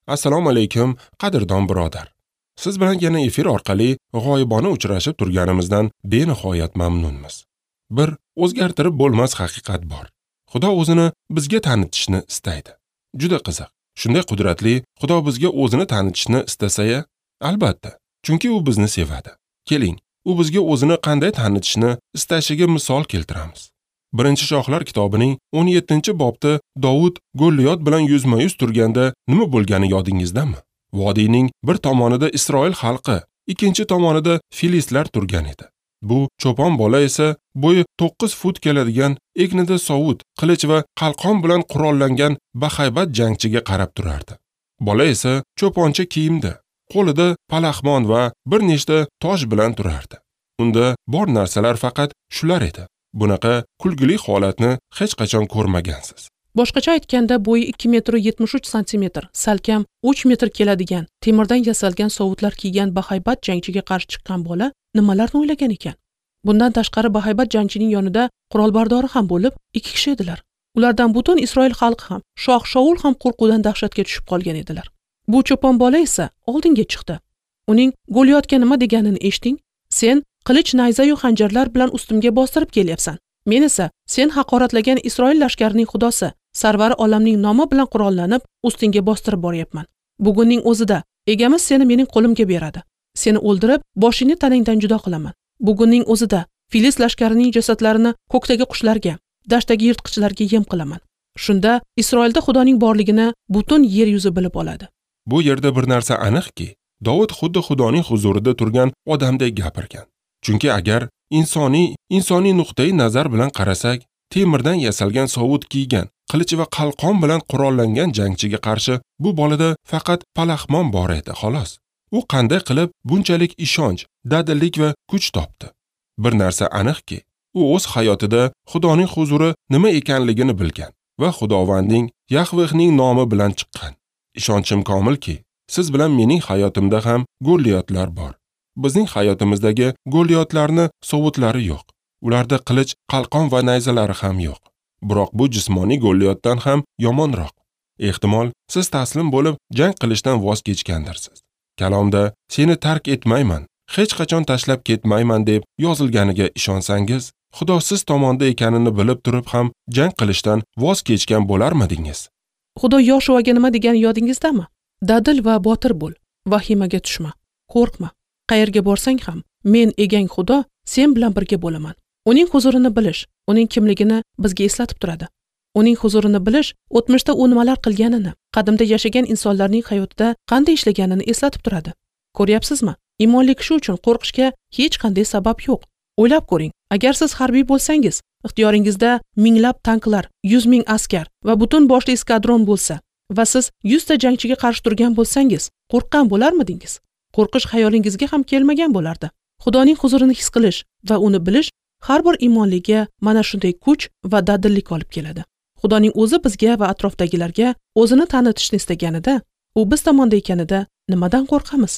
Assalomu alaykum, qadrdon birodar. Siz bilan yana efir orqali g'oyibona uchrashib turganimizdan benihoyat mamnunmiz. Bir o'zgartirib bo'lmas haqiqat bor. Xudo o'zini bizga tanitishni istaydi. Juda qiziq. Shunday qudratli Xudo bizga o'zini tanitishni istasa-ya, albatta, chunki u bizni sevadi. Keling, u bizga o'zini qanday tanitishni istashiga misol keltiramiz. 1 Shohlar kitobining 17-bobda Dovud Golliyot bilan yuzma-yuz turganda nima bo'lgani yodingizdami? Vodiyning bir tomonida Isroil xalqi, ikkinchi tomonida filistlar turgan edi. Bu cho'pon bola esa bo'yi 9 fut keladigan, egnida sovut, qilich va qalqon bilan qurollangan bahaybat jangchiga qarab turardi. Bola esa cho'poncha kiyimda, qo'lida palaxmon va bir nechta tosh bilan turardi. Unda bor narsalar faqat shular edi. Bunaqa kulgili holatni hech qachon ko'rmagansiz. Boshqacha aytganda, bo'yi 2 metr 73 santimetr, salkam 3 metr keladigan, temirdan yasalgan sovutlar kiygan bahaybat jangchiga qarshi chiqqan bola nimalarni o'ylagan ekan? Bundan tashqari bahaybat jangchining yonida qurolbardori ham bo'lib, 2 kishi edilar. Ulardan butun Isroil xalqi ham, shoh Shaul ham qo'rquvdan dahshatga tushib qolgan edilar. Bu cho'pon bola esa oldinga chiqdi. Uning Goliyotga nima deganini eshiting. Sen qilich, nayza yu xanjarlar bilan ustimga bostirib kelyapsan. Men esa sen haqoratlagan Isroil lashkarining xudosi, sarvari olamning nomi bilan qurollanib, ustingga bostirib boryapman. Bugunning o'zida egamiz seni mening qo'limga beradi. Seni o'ldirib, boshingni tanangdan judo qilaman. Bugunning o'zida Filist lashkarining jasadlarini ko'kdagi qushlarga, dashtdagi yirtqichlarga yem qilaman. Shunda Isroilda Xudoning borligini butun yer yuzi bilib oladi. Bu yerda bir narsa aniqki, Dovud xuddi Xudoning huzurida turgan odamdek gapirgan. Chunki agar insoniy nuqtai nazar bilan qarasak, temirdan yasalgan sovut kiygan, qilich va qalqon bilan qurollangan jangchiga qarshi bu bolada faqat palaxmon bor edi, xolos. U qanday qilib bunchalik ishonch, dadillik va kuch topdi? Bir narsa aniqki, u o'z hayotida Xudoning huzuri nima ekanligini bilgan va Xudovandning, Yahvehning nomi bilan chiqqan. Ishonchim komilki, siz bilan mening hayotimda ham Golliyotlar bor. Bizning hayotimizdagi Golliyotlarni sovutlari yo'q. Ularda qilich, qalqon va nayzalari ham yo'q. Biroq bu jismoniy Golliyotdan ham yomonroq. Ehtimol, siz taslim bo'lib jang qilishdan voz kechgandirsiz. Kalomda seni tark etmayman, hech qachon tashlab ketmayman deb yozilganiga ishonsangiz, Xudo siz tomonda ekanini bilib turib ham jang qilishdan voz kechgan bo'larmidingiz? Xudo Yoshuaga nima degani yodingizdami? Dadil va botir bo'l, vahimaga tushma, qo'rqma. Qayerga borsang ham, men egang Xudo sen bilan birga bo'laman. Uning huzurini bilish, uning kimligini bizga eslatib turadi. Uning huzurini bilish, o'tmishda u nimalar qilganini, qadimda yashagan insonlarning hayotida qanday ishlaganini eslatib turadi. Ko'ryapsizmi? Iymonli kishi uchun qo'rqishga hech qanday sabab yo'q. O'ylab ko'ring, agar siz harbiy bo'lsangiz, ixtiyoringizda minglab tanklar, 100 ming askar va butun boshli eskadron bo'lsa va siz 100 ta jangchiga qarshi turgan bo'lsangiz, qo'rqqan bo'larmidingiz? Qo'rqish xayolingizga ham kelmagan bo'lardi. Xudoning huzurini his qilish va uni bilish har bir iymonliga mana shunday kuch va dadillik olib keladi. Xudoning o'zi bizga va atrofdagilarga o'zini tanitishni istaganida, u biz tomonda ekanida nimadan qo'rqamiz?